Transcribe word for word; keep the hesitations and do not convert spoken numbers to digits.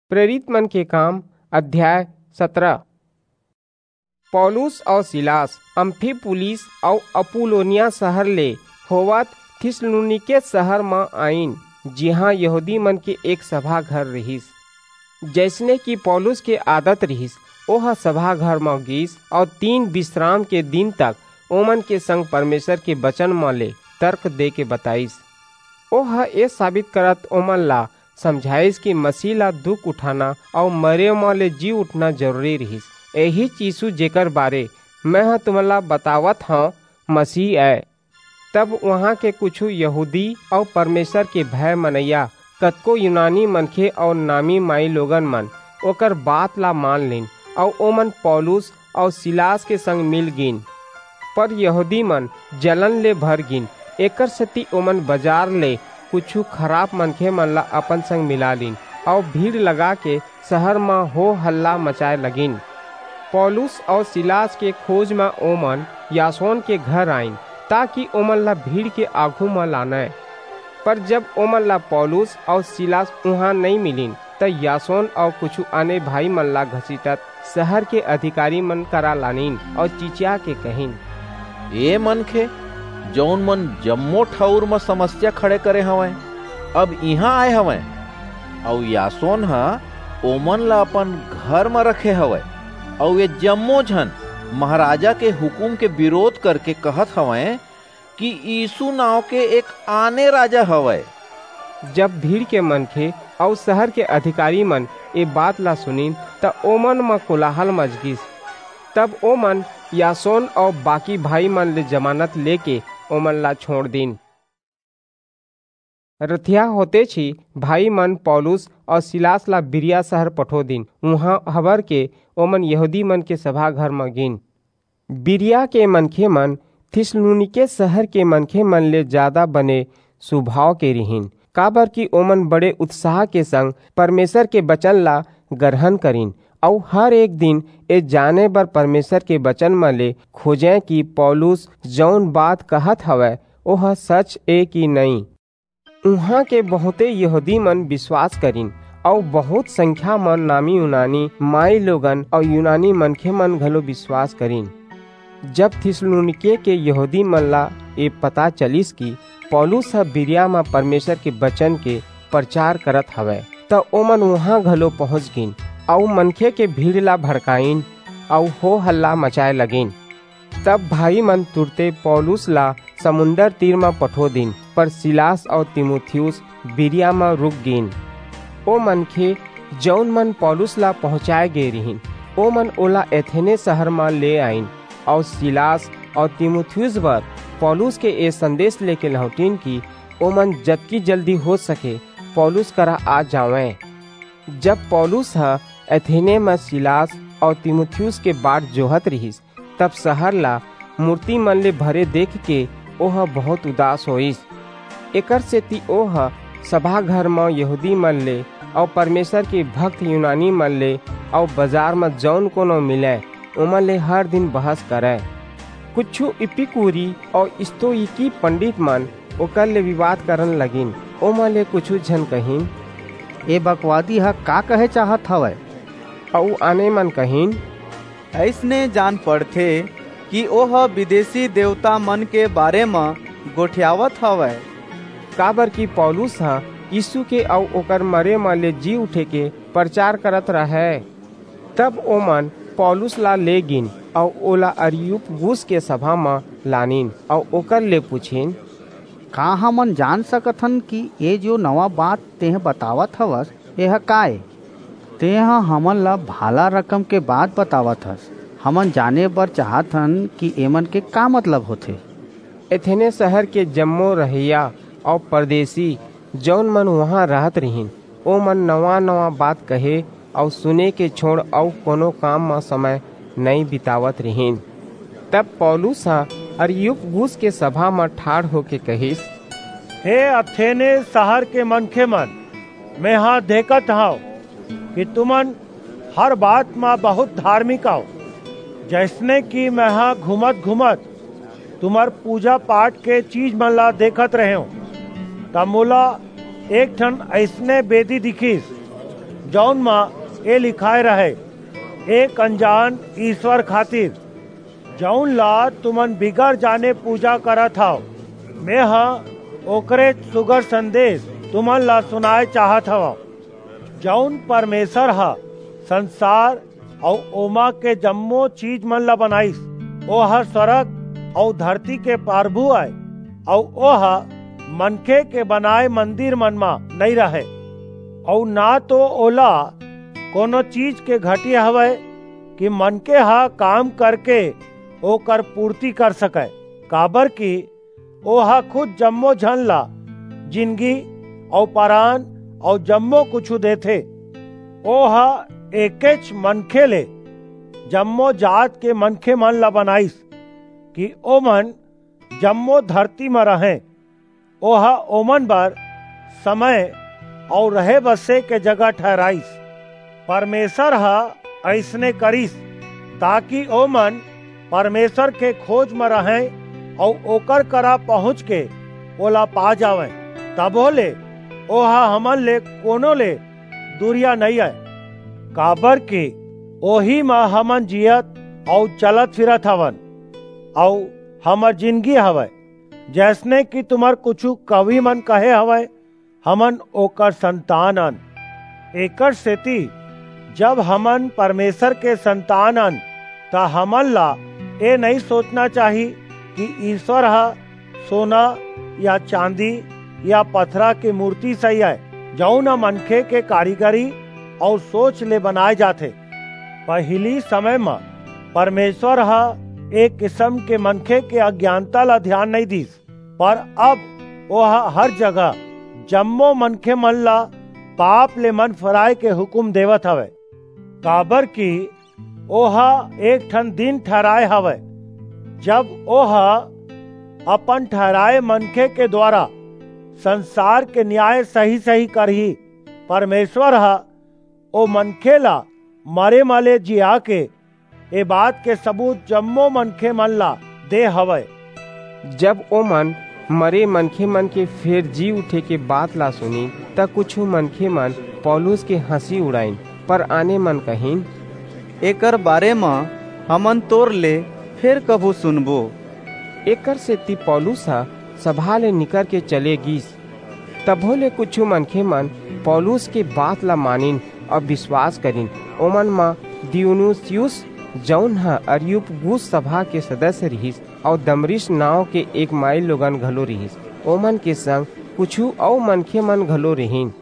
प्रेरित मन के काम, अध्याय सतरा। पौलुस अऊ सिलास अम्फिपुलिस अऊ अपुल्लोनिया शहर ले होवत थिस्सलुनीके शहर म आईन, जिहां यहूदी मन के एक सभा घर रिहिस। जइसने कि पौलुस के आदत रिहिस, ओह सभा घर म गीस अऊ तीन बिसराम के दिन तक ओमन के संग परमेसर के बचन म ले तर्क दे के बताईस। ओह ए साबित करत ओमन ला समझाईस कि मसीह ला दुख उठाना अऊ मरे म ले जी उठना जरूरी रिहिस। एहीच यीसू, जेकर बारे मेंह तुमन ला बतावत हंव, मसीह अय। तब उहां के कुछू यहूदी अऊ परमेसर के भय मनइया कतको यूनानी मनखे अऊ नामी माईलोगन मन ओकर बात ला मान लीन अऊ ओमन पौलुस अऊ सिलास के संग मिल गीन। पर यहूदी मन जलन ले भर गीन, एकरसेति ओमन बजार ले कुछू खराप मनखे मन ला अपन संग मिला लीन अऊ भीड़ लगाके शहर म हो हल्ला मचाय लगिन। पौलुस अऊ सिलास के खोज म ओमन यासोन के घर आईन, ताकि ओमन ला भीड़ के आघू म लानय। पर जब ओमन ला पौलुस अऊ सिलास उहां नइं मिलिन, त यासोन अऊ कुछू आने भाई मन ला घसीटत शहर के अधिकारी मन करा लानिन अऊ चिचिया के कहिन, "ए मनखे, जऊन मन जम्मो ठऊर म समस्या खड़े करे हवंय, अब इहां आय हवंय, अऊ यासोन ह ओमन ला अपन घर म रखे हवय, अऊ ए जम्मो झन महाराजा के हुकूम के बिरोध करके कहत हवंय कि यीसू नांव के एक आने राजा हवय।" जब भीड़ के मनखे अऊ शहर के अधिकारी मन ए बात ला सुनिन, त ओमन म कोलाहल मच गीस। तब ओमन यासोन अऊ बाकी भाई मन ले जमानत लेके ओमन ला छोंड़ दीन। रथिया होतेच ही भाई मन पौलुस अऊ सिलास ला बिरिया शहर पठो दीन। उहां हबर के ओमन यहूदी मन के सभा घर म गीन। बिरिया के मनखे मन थिस्सलुनीके शहर के मनखे मन ले जादा बने सुभाव के रिहिन, काबरकि ओमन बड़े उत्साह के संग परमेसर के बचन ला गरहन करिन, अऊ हर एक दिन ए जाने बर परमेसर के बचन म ले खोजंय कि पौलुस जऊन बात कहत हवय, ओह सच ए कि नइं। उहां के बहुंते यहूदी मन बिसवास करिन, अऊ बहुंत संख्या म नामी यूनानी माईलोगन अऊ यूनानी मनखे मन घलो बिसवास करिन। जब थिस्सलुनीके के यहूदी मन ला ए पता चलिस कि पौलुस ह बिरिया म परमेसर के बचन के परचार करत हवय, त ओमन उहां घलो पहुंच गीन, अऊ मनखे के भीड़ ला भड़काईन, अऊ हो हल्ला मचाय लगिन। तब भाई मन तुरते पौलुस ला समुंदर तीर म पठो दीन, पर सिलास अऊ तीमुथियुस बिरिया म रुक गीन। ओ मनखे, जऊन मन पौलुस ला पहुंचाय गे रिहिन, ओमन ओला एथेने शहर म ले आईन, अऊ सिलास अऊ तीमुथियुस बर पौलुस के ए संदेस लेके लहुंटिन कि ओमन जतकी जल्दी हो सके पौलुस करा आ जावंय। जब पौलुस ह एथेने म सिलास अऊ तीमुथियुस के बाट जोहत रिहिस, तब शहर ला मूरती मन ले भरे देखके ओह बहुंत उदास होईस। एकरसेति ओह सभा घर म यहूदी मन ले अऊ परमेसर के भक्त यूनानी मन ले अऊ बजार म जऊन कोनो मिलय, ओमन ले हर दिन बहस करय। कुछू इपिकूरी अऊ स्तोईकी पंडित मन ओकर ले बिवाद करन लगिन। ओमन ले कुछू झन कहिन, "ए बकवादी ह का कहे चाहत हवय?" अऊ आने मन कहिन, "अइसने जान पड़थे कि ओह बिदेसी देवता मन के बारे म गोठियावत हवय।" काबरकि पौलुस ह यीसू के अऊ ओकर मरे म ले जी उठे के परचार करत रहय। तब ओमन पौलुस ला ले गीन अऊ ओला अरियुपगुस के सभा म लानिन अऊ ओकर ले पुछिन, "का हमन जान सकथन कि ए जो नवा बात तेंह बतावत हवस, एह का ए? तेंह हमन ला भाला रकम के बात बतावत हस। हमन जाने बर चाहत हन कि एमन के का मतलब होथे?" एथेने शहर के जम्मो रहइया अऊ परदेसी, जऊन मन उहां रहत रिहिन, ओमन नवा-नवा बात कहे अऊ सुने के छोंड़ अऊ कोनो काम म समय नइं बितावत रिहिन। तब पौलुस ह अरियुपगुस के सभा म ठाढ़ होके कहिस, "हे एथेने शहर के मनखे मन, मेंह देखत हंव कि तुमन हर बात म बहुंत धारमिक अव, जइसने कि मेंह घूमत-घूमत तुम्हर पूजा-पाठ के चीज मन ला देखत रहेंव, त मोला एक ठन अइसने बेदी दिखिस, जौन म ए लिखाय रहय, "एक अनजान ईश्वर खातिर, जौन ला तुमन बिगर जाने पूजा करत हव, मेंह ओकरे सुघर संदेश तुमन ला सुनाय चाहत हवं, जौन परमेसर ह संसार अऊ ओमा के जम्मो चीज मन ला बनाईस। ओह स्वर्ग अऊ धरती के परभू अय, अऊ ओह मनखे के बनाय मंदिर मन म नइं रहय, अऊ ना तो ओला कोनो चीज के घटी हवय कि मनखे ह काम करके ओकर पूर्ति कर सकय, काबरकि ओह खुद जम्मो झन ला जिनगी अऊ परान अऊ जम्मो कुछू देथे। ओह एकेच मनखे ले जम्मो जात के मनखे मन ला बनाईस कि ओमन जम्मो धरती म रहंय। ओह ओमन बर समय अऊ रहे बसे के जगह ठहराईस। परमेसर ह अइसने करिस, ताकि ओमन परमेसर के खोज म रहंय अऊ ओकर करा पहुंच के ओला पा जावंय। तभो ले ओह हमन ले कोनो ले दूरिहा नइं अय, काबरकि ओही म हमन जीयत अऊ चलत फिरत हवन, अऊ हमर जिनगी हवय। जइसने कि तुम्हर कुछू कवि मन कहे हवंय, हमन ओकर संतान अन। एकरसेति जब हमन परमेसर के संतान अन, त हमन ला ए नइं सोचना चाही कि ईश्वर ह सोना या चांदी या पथरा के मूरती सही अय, जऊन ह मनखे के कारीगरी अऊ सोच ले बनाय जाथे। पहिली समय म परमेसर ह ए किसम के मनखे के अज्ञानता ला धियान नइं दीस, पर अब ओह हर जगह जम्मो मनखे मन ला पाप ले मन फिराय के हुकूम देवत हवय, काबरकि ओह एक ठन दिन ठहराय हवय, जब ओह अपन ठहराय मनखे के दुवारा संसार के नियाय सही-सही करही। परमेसर ह ओ मनखे ला मरे म ले जिया के ए बात के सबूत जम्मो मनखे मन ला दे हवय। जब ओमन मरे मनखे मन के फेर जी उठे के बात ला सुनिन, त कुछू मनखे मन पौलुस के हंसी उड़ाइन, पर आने मन कहिन, "एकर बारे म हमन तोर ले फेर कभू सुनबो।" एकरसेति पौलुस ह सभा ले निकर के चले गीस। तभो ले कुछू मनखे मन पौलुस के बात ला मानिन अऊ बिसवास करिन। ओमन म दियुनुसियुस, जऊन ह अरियुपगुस सभा के सदस्य रिहिस, अऊ दमरिस नांव के एक माईलोगन घलो रिहिस। ओमन के संग कुछू अऊ मनखे मन घलो रिहिन।